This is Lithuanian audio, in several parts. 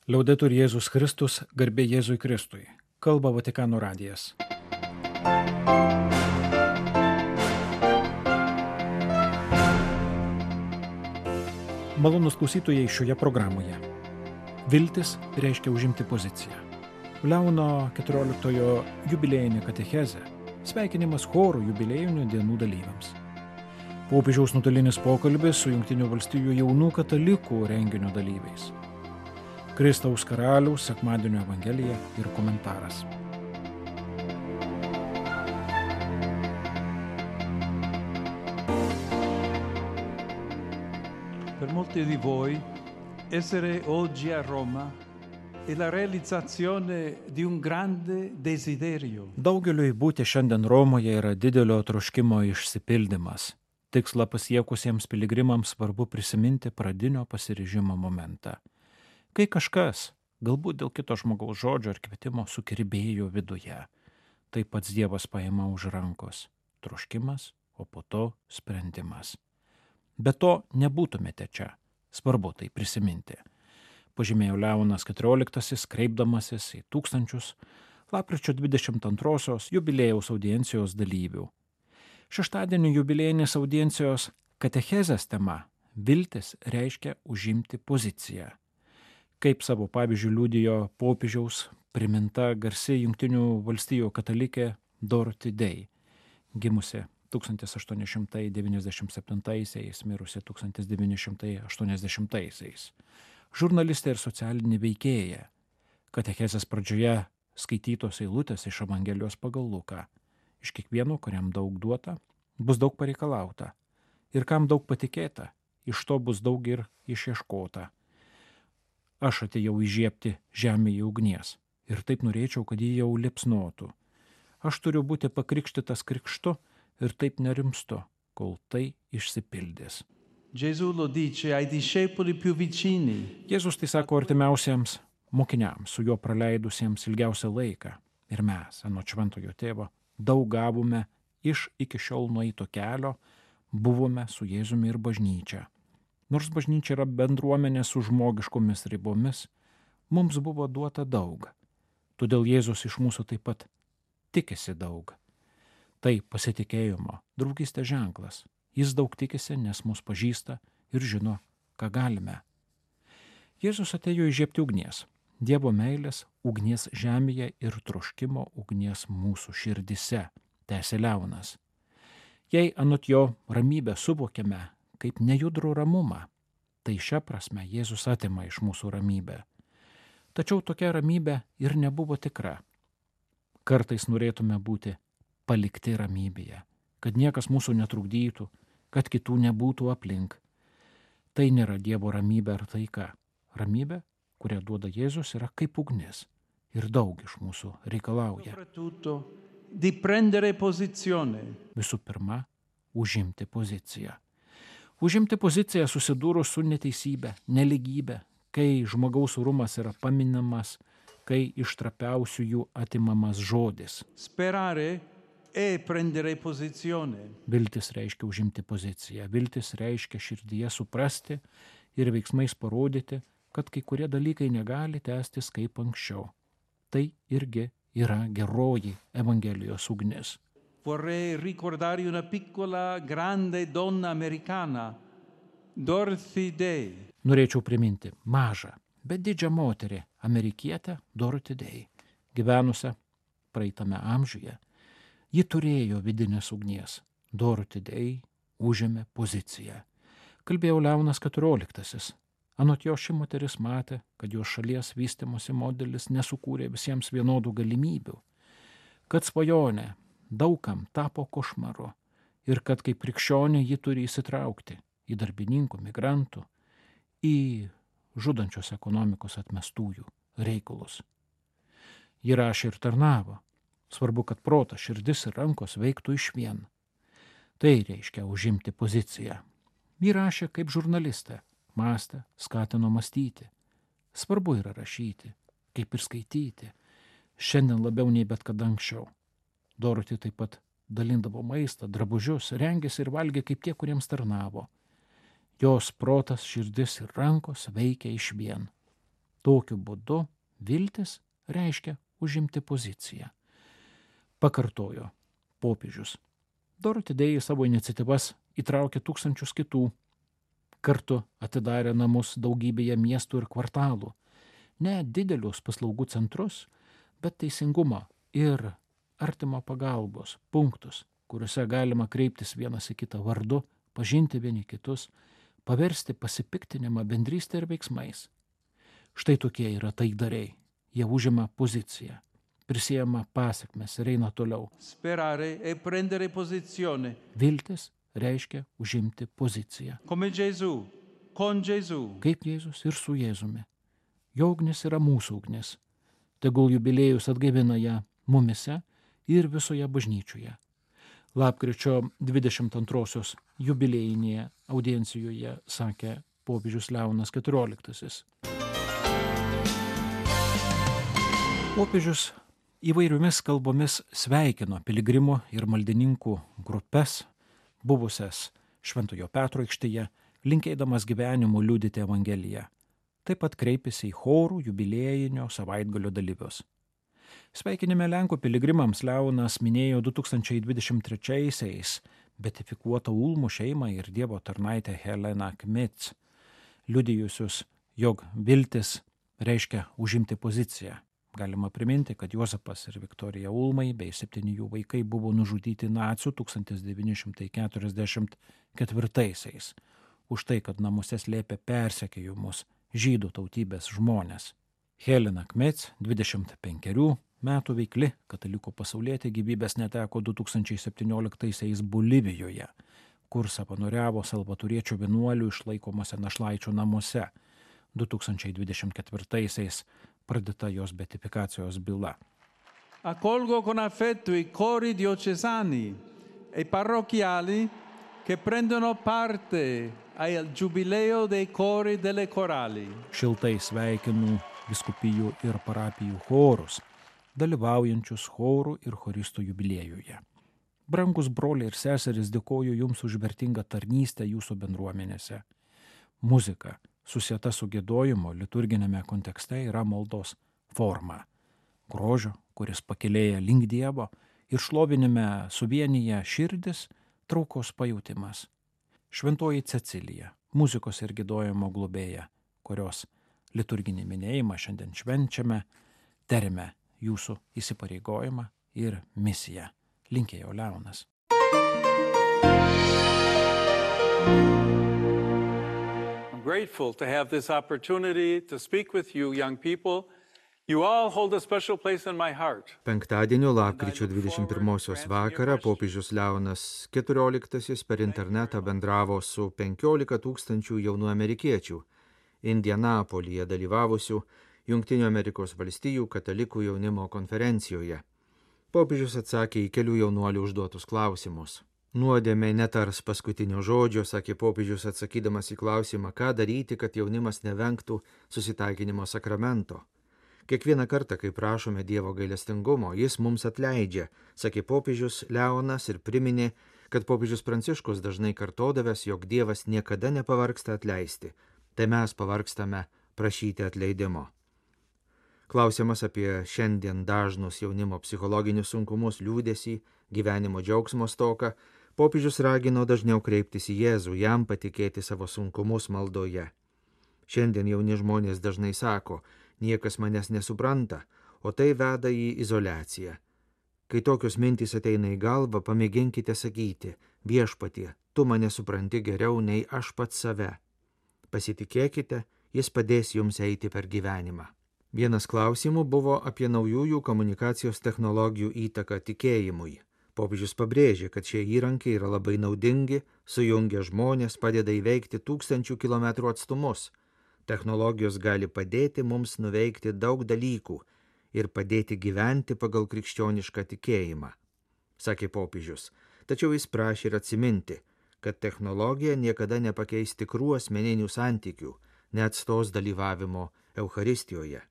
Liaudetur Jėzus Kristus, garbė Jėzui Kristui. Kalba Vatikano radijas. Malonūs klausytojai šioje programoje. Viltis reiškia užimti poziciją. Leono 14 jubiliejinė katechezė. Sveikinimas chorų jubiliejinių dienų dalyviams. Popiežiaus nuotolinis pokalbis su Jungtinių valstijų jaunų katalikų renginio dalyviais. Kristaus karaliaus sekmadienio evangelija ir komentaras. Per molti di voi essere oggi a Roma è la realizzazione di un grande desiderio. Daugeliui būti šiandien Romoje yra didelio troškimo išsipildymas. Tikslą pasiekusiems piligrimams svarbu prisiminti pradinio pasiryžimo momentą. Kai kažkas, galbūt dėl kito žmogaus žodžio ar kvietimo, sukirbėjo viduje, tai pats Dievas paima už rankos. Troškimas, o po to sprendimas. Be to nebūtumėte čia. Svarbu tai prisiminti. Pažymėjo Leonas XIV, kreipdamasis į tūkstančius lapkričio 22 jubiliejaus audiencijos dalyvių. Šeštadienio jubiliejinės audiencijos katechezės tema viltis reiškia užimti poziciją. Kaip savo pavyzdžių liudijo popiežiaus priminta garsi Jungtinių valstijų katalikė Dorothy Day, gimusi 1897, mirusi 1980. Žurnalistė ir socialinė veikėja. Katechezės pradžioje skaitytos eilutės iš Evangelijos pagal Luką. Iš kiekvieno, kuriam daug duota, bus daug pareikalauta. Ir kam daug patikėta, iš to bus daug ir išieškota. Aš atėjau įžiebti žemėje ugnies ir taip norėčiau, kad ji jau liepsnotų. Aš turiu būti pakrikštytas krikštu ir taip nerimstu, kol tai išsipildys. Gesù lo dice ai discepoli più vicini. Jėzus tai sako artimiausiems mokiniams, su juo praleidusiems ilgiausią laiką. Ir mes, anot šventojo tėvo, daug gavome iš iki šiol nueito kelio, buvome su Jėzumi ir bažnyčia. Nors bažnyčia yra bendruomenė su žmogiškomis ribomis, mums buvo duota daug. Todėl Jėzus iš mūsų taip pat tikisi daug. Tai pasitikėjimo, draugystės ženklas. Jis daug tikisi, nes mus pažįsta ir žino, ką galime. Jėzus atėjo įžiebti ugnies, Dievo meilės ugnies žemėje ir troškimo ugnies mūsų širdise, tęsė Leonas. Jei anot jo ramybę suvokiame kaip nejudrų ramumą, tai šia prasme Jėzus atima iš mūsų ramybę. Tačiau tokia ramybė ir nebuvo tikra. Kartais norėtume būti palikti ramybėje, kad niekas mūsų netrukdytų, kad kitų nebūtų aplink. Tai nėra Dievo ramybė ar taika. Ramybė, kurią duoda Jėzus, yra kaip ugnis ir daug iš mūsų reikalauja. Di prendere posizione. Visų pirma, užimti poziciją. Užimti poziciją susidūrus su neteisybė, neligybė, kai žmogaus orumas yra paminamas, kai iš trapiausiųjų atimamas žodis. Sperare e prendere posizione. Viltis reiškia užimti poziciją. Viltis reiškia širdyje suprasti ir veiksmais parodyti, kad kai kurie dalykai negali tęstis kaip anksčiau. Tai irgi yra geroji Evangelijos ugnis. Vorrei ricordare una piccola grande donna americana, Dorothy Day. Norėčiau priminti mažą, bet didžią moterį, amerikietę Dorothy Day, gyvenusią praeitame amžiuje. Ji turėjo vidinės ugnies. Dorothy Day užėmė poziciją. Kalbėjo Leonas XIV. Anot jo ši moteris matė, kad jos šalies vystymosi modelis nesukūrė visiems vienodų galimybių, kad svajonė daugam tapo košmaru ir kad kaip krikščionė ji turi įsitraukti į darbininkų, migrantų, į žudančios ekonomikos atmestųjų reikalus. Ji rašė ir tarnavo. Svarbu, kad protas, širdis ir rankos veiktų išvien. Tai reiškia užimti poziciją. Ji rašė kaip žurnalistė, mąstė, skatino mąstyti. Svarbu yra rašyti, kaip ir skaityti. Šiandien labiau nei bet kada anksčiau. Dorothy taip pat dalindavo maistą, drabužius, rengėsi ir valgė kaip tie, kuriems tarnavo. Jos protas, širdis ir rankos veikia išvien. Tokiu būdu viltis reiškia užimti poziciją. Pakartojo popiežius. Doroti Day savo iniciatyvas įtraukė tūkstančius kitų. Kartu atidarė namus daugybėje miestų ir kvartalų. Ne didelius paslaugų centrus, bet teisingumo ir artimo pagalbos punktus, kuriuose galima kreiptis vienas į kitą vardu, pažinti vieni kitus, paversti pasipiktinimą bendrystę ir veiksmais. Štai tokie yra taikdariai. Jie užima poziciją, prisiema pasekmes ir eina toliau. Sperare e prendere posizione. Viltis reiškia užimti poziciją. Come Gesù, con Gesù. Kaip Jėzus ir su Jėzumi. Jo ugnis yra mūsų ugnis. Tegul jubiliejus atgaivina ją mumise ir visoje bažnyčioje. Lapkričio 22 jubiliejinėje audiencijoje sakė popiežius Leonas XIV. Popiežius įvairiomis kalbomis sveikino piligrimų ir maldininkų grupes, buvusias Šventojo Petro aikštėje, linkėdamas gyvenimu liudyti Evangeliją. Taip pat kreipėsi į chorų jubiliejinio savaitgalio dalyvius. Sveikinime Lenkų piligrimams Leonas minėjo 2023-aisiais betifikuotą Ulmų šeimą ir Dievo tarnaitę Heleną Kmits, liudijusius, jog viltis reiškia užimti poziciją. Galima priminti, kad Juozapas ir Viktorija Ulmai bei 7 jų vaikai buvo nužudyti nacių 1944-aisiais už tai, kad namuose slėpė persekiojimus žydų tautybės žmonės. Helena Kmets, 25 metų veikli katalikų pasaulietė, gyvybės neteko 2017-aisiais Bolivijoje, kur savanoriavo salvatoriečių vienuolių išlaikomose našlaičių namuose. 2024-aisiais pradėta jos beatifikacijos byla. Accolgo con affetto i cori diocesani e parrocchiali che prendono parte al giubileo dei cori delle corali. Šiltai sveikinu vyskupijų ir parapijų chorus, dalyvaujančius chorų ir choristų jubiliejuje. Brangus broliai ir seserys, dėkoju jums už vertingą tarnystę jūsų bendruomenėse. Muzika, susieta su giedojimu liturginėme kontekste, yra maldos forma. Grožio, kuris pakilėja link Dievo, ir šlovinime suvienyje širdis, traukos pajautimas. Šventoji Cecilija, muzikos ir giedojimo globėja, kurios liturginį minėjimą šiandien švenčiame, terime jūsų įsipareigojimą ir misiją. Linkėjo Leonas. Grateful to have this opportunity to speak with you, young people. You all hold a special place in my heart. Penktadienio lapkričio 21 vakarą popiežius Leonas XIV per internetą bendravo su 15 000 jaunų amerikiečių Indianapolyje dalyvavusių Jungtinių Amerikos valstijų katalikų jaunimo konferencijoje. Popiežius atsakė į kelių jaunuolių užduotus klausimus. Nuodėmė netars paskutinio žodžio, sakė popiežius atsakydamas į klausimą, ką daryti, kad jaunimas nevengtų susitaikinimo sakramento. Kiekvieną kartą, kai prašome Dievo gailestingumo, jis mums atleidžia, sakė popiežius Leonas ir priminė, kad popiežius Pranciškus dažnai kartodavęs, jog Dievas niekada nepavargsta atleisti, tai mes pavargstame prašyti atleidimo. Klausimas apie šiandien dažnus jaunimo psichologinius sunkumus, liūdesį, gyvenimo džiaugsmo stoką, popiežius ragino dažniau kreiptis į Jėzų, jam patikėti savo sunkumus maldoje. Šiandien jauni žmonės dažnai sako, niekas manęs nesupranta, o tai veda į izoliaciją. Kai tokios mintys ateina į galvą, pamėginkite sakyti, viešpatie, tu mane supranti geriau nei aš pats save. Pasitikėkite, jis padės jums eiti per gyvenimą. Vienas klausimų buvo apie naujųjų komunikacijos technologijų įtaką tikėjimui. Popiežius pabrėžė, kad šie įrankiai yra labai naudingi, sujungia žmonės, padeda įveikti 1000 kilometrų atstumus. Technologijos gali padėti mums nuveikti daug dalykų ir padėti gyventi pagal krikščionišką tikėjimą, sakė popiežius. Tačiau jis prašė ir atsiminti, kad technologija niekada nepakeis tikrų asmeninių santykių, neatstos dalyvavimo Eucharistijoje.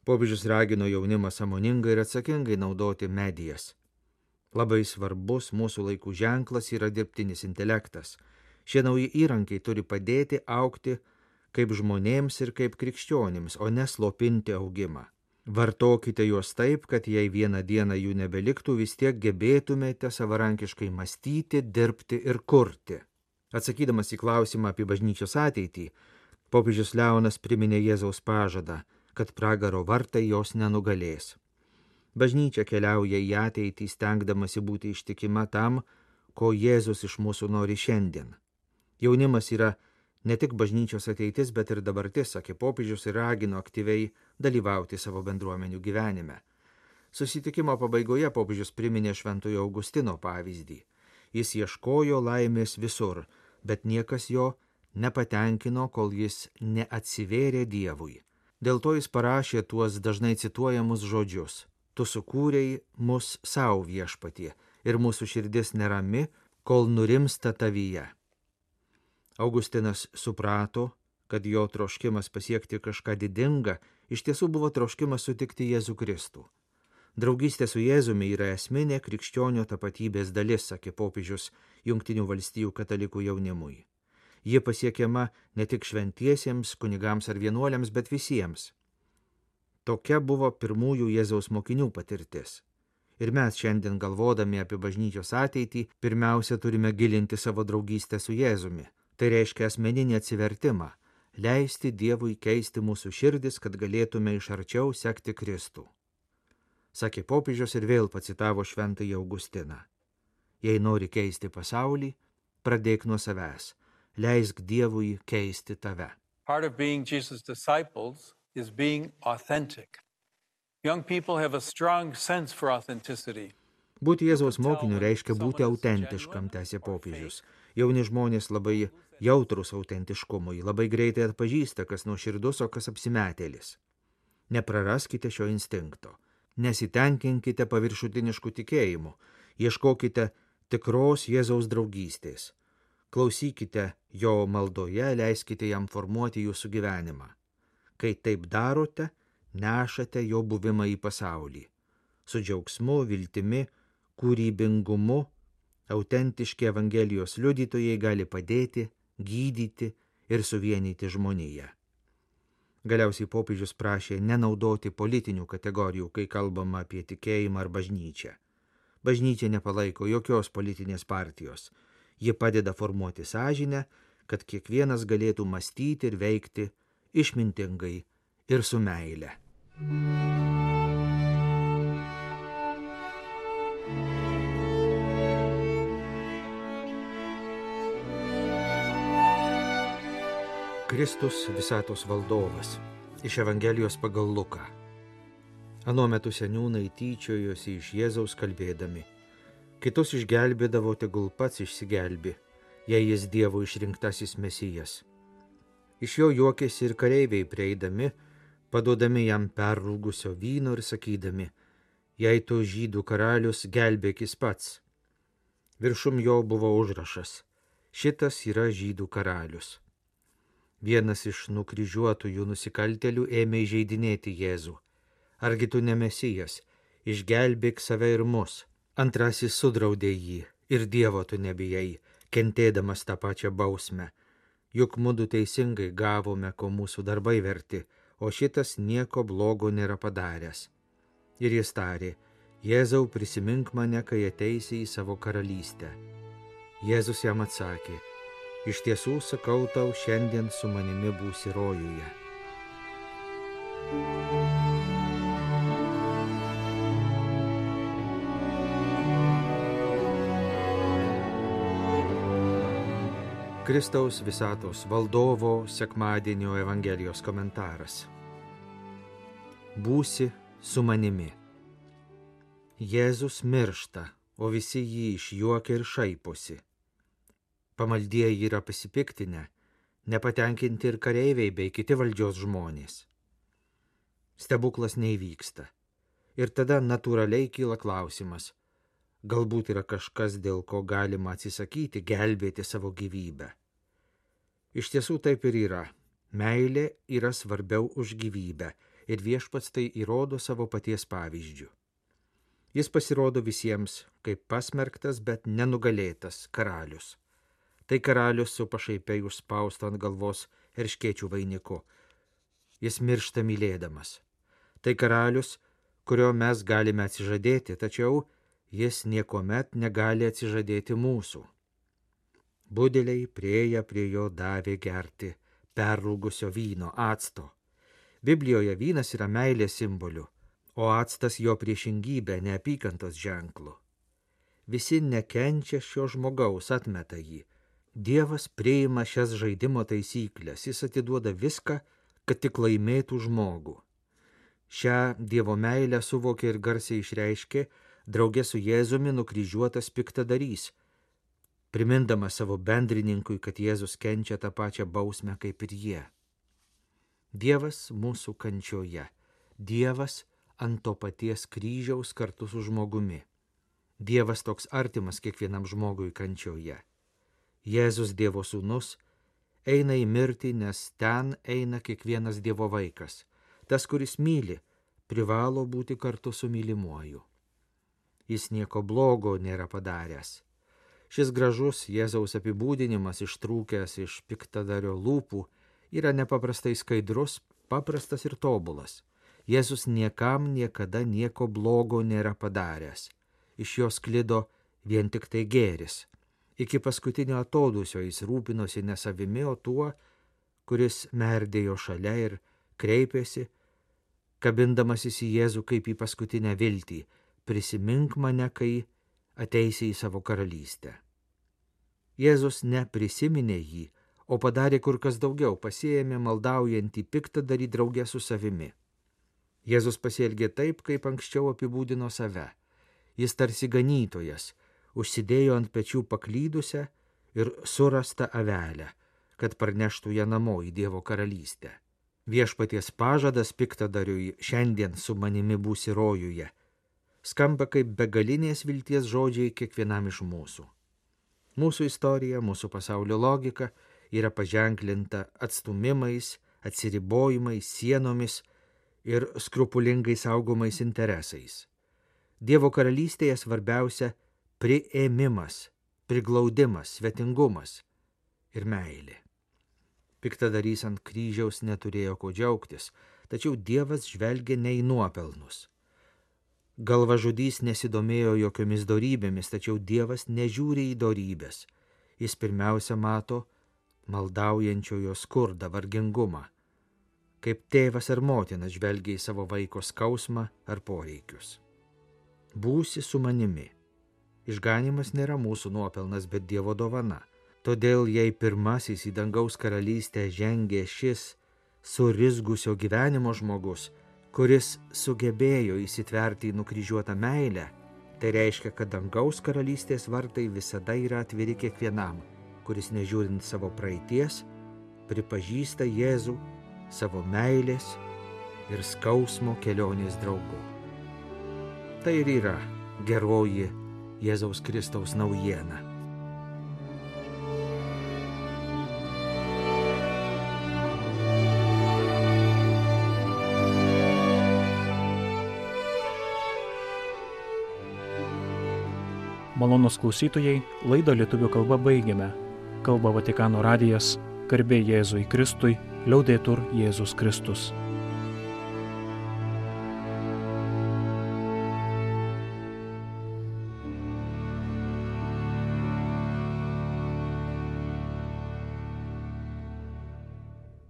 Popiežius ragino jaunimą sąmoningai ir atsakingai naudoti medijas. Labai svarbus mūsų laikų ženklas yra dirbtinis intelektas. Šie nauji įrankiai turi padėti augti kaip žmonėms ir kaip krikščionims, o neslopinti augimą. Vartokite juos taip, kad jei vieną dieną jų nebeliktų, vis tiek gebėtumėte savarankiškai mąstyti, dirbti ir kurti. Atsakydamas į klausimą apie bažnyčios ateitį, popiežius Leonas priminė Jėzaus pažadą, kad pragaro vartai jos nenugalės. Bažnyčia keliauja į ateitį, stengdamasi būti ištikima tam, ko Jėzus iš mūsų nori šiandien. Jaunimas yra ne tik bažnyčios ateitis, bet ir dabartis, sakė popiežius ir ragino aktyviai dalyvauti savo bendruomenių gyvenime. Susitikimo pabaigoje popiežius priminė Šventojo Augustino pavyzdį. Jis ieškojo laimės visur, bet niekas jo nepatenkino, kol jis neatsivėrė Dievui. Dėl to jis parašė tuos dažnai cituojamus žodžius: Tu sukūrei mus savo viešpatie ir mūsų širdis nerami, kol nurimsta tavyje. Augustinas suprato, kad jo troškimas pasiekti kažką didingą iš tiesų buvo troškimas sutikti Jėzų Kristų. Draugystė su Jėzumi yra esminė krikščionio tapatybės dalis, sakė popiežius Jungtinių valstijų katalikų jaunimui. Ji pasiekiama ne tik šventiesiems, kunigams ar vienuoliams, bet visiems. Tokia buvo pirmųjų Jėzaus mokinių patirtis. Ir mes šiandien galvodami apie bažnyčios ateitį, pirmiausia turime gilinti savo draugystę su Jėzumi. Tai reiškia asmeninį atsivertimą, leisti Dievui keisti mūsų širdis, kad galėtume iš arčiau sekti Kristų. Sakė popiežius ir vėl pacitavo Šventąjį Augustiną. Jei nori keisti pasaulį, pradėk nuo savęs. Leisk Dievui keisti tave. Part of being Jesus' disciples is being authentic. Young people have a strong sense for authenticity. Būti Jėzaus mokiniu reiškia būti autentiškam, tęsė popiežius. Jauni žmonės labai jautrus autentiškumui, labai greitai atpažįsta, kas nuoširdus, o kas apsimetėlis. Nepraraskite šio instinkto. Nesitenkinkite paviršutiniškų tikėjimų. Ieškokite tikros Jėzaus draugystės. Klausykite jo maldoje, leiskite jam formuoti jūsų gyvenimą. Kai taip darote, nešate jo buvimą į pasaulį. Su džiaugsmu, viltimi, kūrybingumu, autentiški Evangelijos liudytojai gali padėti, gydyti ir suvienyti žmoniją. Galiausiai popiežius prašė nenaudoti politinių kategorijų, kai kalbama apie tikėjimą ar bažnyčią. Bažnyčia nepalaiko jokios politinės partijos. Ji padeda formuoti sąžinę, kad kiekvienas galėtų mąstyti ir veikti išmintingai ir su meile. Kristus visatos valdovas. Iš Evangelijos pagal Luką. Anuo metu seniūnai tyčiojosi iš Jėzaus kalbėdami: Kitus išgelbėdavo, tegul pats išsigelbi, jei jis Dievo išrinktasis Mesijas. Iš jo juokėsi ir kareiviai prieidami, paduodami jam perrūgusio vyno ir sakydami: Jei tu žydų karalius, gelbėkis pats. Viršum jo buvo užrašas: Šitas yra žydų karalius. Vienas iš nukryžiuotųjų nusikaltėlių ėmė įžeidinėti Jėzų: Argi tu ne Mesijas, išgelbėk save ir mus. Antrasis sudraudė jį: Ir Dievo tu nebijai, kentėdamas tą pačią bausmę. Juk mudu teisingai gavome, ko mūsų darbai verti, o šitas nieko blogo nėra padaręs. Ir jis tarė: Jėzau, prisimink mane, kai ateisi į savo karalystę. Jėzus jam atsakė: Iš tiesų sakau tau, šiandien su manimi būsi rojuje. Kristaus visatos valdovo sekmadienio Evangelijos komentaras. Būsi su manimi. Jėzus miršta, o visi jį išjuokia ir šaiposi. Pamaldieji yra pasipiktinę, nepatenkinti ir kareiviai bei kiti valdžios žmonės. Stebuklas neįvyksta. Ir tada natūraliai kyla klausimas: galbūt yra kažkas, dėl ko galima atsisakyti gelbėti savo gyvybę. Iš tiesų taip ir yra. Meilė yra svarbiau už gyvybę ir Viešpats tai įrodo savo paties pavyzdžiu. Jis pasirodo visiems kaip pasmerktas, bet nenugalėtas karalius. Tai karalius su pašaipiai užspaustu ant galvos erškėčių vainiku. Jis miršta mylėdamas. Tai karalius, kurio mes galime atsižadėti, tačiau jis niekuomet negali atsižadėti mūsų. Budeliai prieėję prie jo davė gerti perrūgusio vyno, acto. Biblijoje vynas yra meilės simboliu, o actas jo priešingybė, neapykantos ženklu. Visi nekenčia šio žmogaus, atmeta jį. Dievas priima šias žaidimo taisyklės, jis atiduoda viską, kad tik laimėtų žmogų. Šią Dievo meilę suvokė ir garsiai išreiškė draugė su Jėzumi nukryžiuotas piktadarys, primindamas savo bendrininkui, kad Jėzus kenčia tą pačią bausmę kaip ir jie. Dievas mūsų kančioje, Dievas ant to paties kryžiaus kartu su žmogumi. Dievas toks artimas kiekvienam žmogui kančioje. Jėzus Dievo sūnus eina į mirtį, nes ten eina kiekvienas Dievo vaikas. Tas, kuris myli, privalo būti kartu su mylimuoju. Jis nieko blogo nėra padaręs. Šis gražus Jėzaus apibūdinimas ištrūkęs iš piktadario lūpų yra nepaprastai skaidrus, paprastas ir tobulas. Jėzus niekam niekada nieko blogo nėra padaręs. Iš jo sklido vien tik tai gėris. Iki paskutinio atodūsio jis rūpinosi ne savimi, o tuo, kuris merdėjo šalia ir kreipėsi, kabindamasis į Jėzų kaip į paskutinę viltį: prisimink mane, kai ateisi į savo karalystę. Jėzus neprisiminė jį, o padarė kur kas daugiau, pasiėmė maldaujantį piktadarį draugę su savimi. Jėzus pasielgė taip, kaip anksčiau apibūdino save. Jis tarsi ganytojas, užsidėjo ant pečių paklydusią ir surastą avelę, kad parneštų ją namo į Dievo karalystę. Viešpaties pažadas piktadariui: šiandien su manimi būsi rojuje, skamba kaip begalinės vilties žodžiai kiekvienam iš mūsų. Mūsų istorija, mūsų pasaulio logika yra paženklinta atstūmimais, atsiribojimais, sienomis ir skrupulingai saugomais interesais. Dievo karalystėje svarbiausia priėmimas, priglaudimas, svetingumas ir meilė. Piktadarys ant kryžiaus neturėjo ko džiaugtis, tačiau Dievas žvelgia ne į nuopelnus. Galvažudys nesidomėjo jokiomis dorybėmis, tačiau Dievas nežiūri į dorybės. Jis pirmiausia mato maldaujančiojo skurdą, vargingumą, kaip tėvas ar motina žvelgia į savo vaiko skausmą ar poreikius. Būsi su manimi. Išganymas nėra mūsų nuopelnas, bet Dievo dovana. Todėl, jei pirmasis į dangaus karalystę žengė šis surizgusio gyvenimo žmogus, kuris sugebėjo įsitverti į nukryžiuotą meilę, tai reiškia, kad dangaus karalystės vartai visada yra atviri kiekvienam, kuris nežiūrint savo praeities, pripažįsta Jėzų savo meilės ir skausmo kelionės draugu. Tai ir yra geroji Jėzaus Kristaus naujiena. Malonūs klausytojai, laidą lietuvių kalba baigiame. Kalba Vatikano radijas, garbė Jėzui Kristui, liaudetur Jėzus Kristus.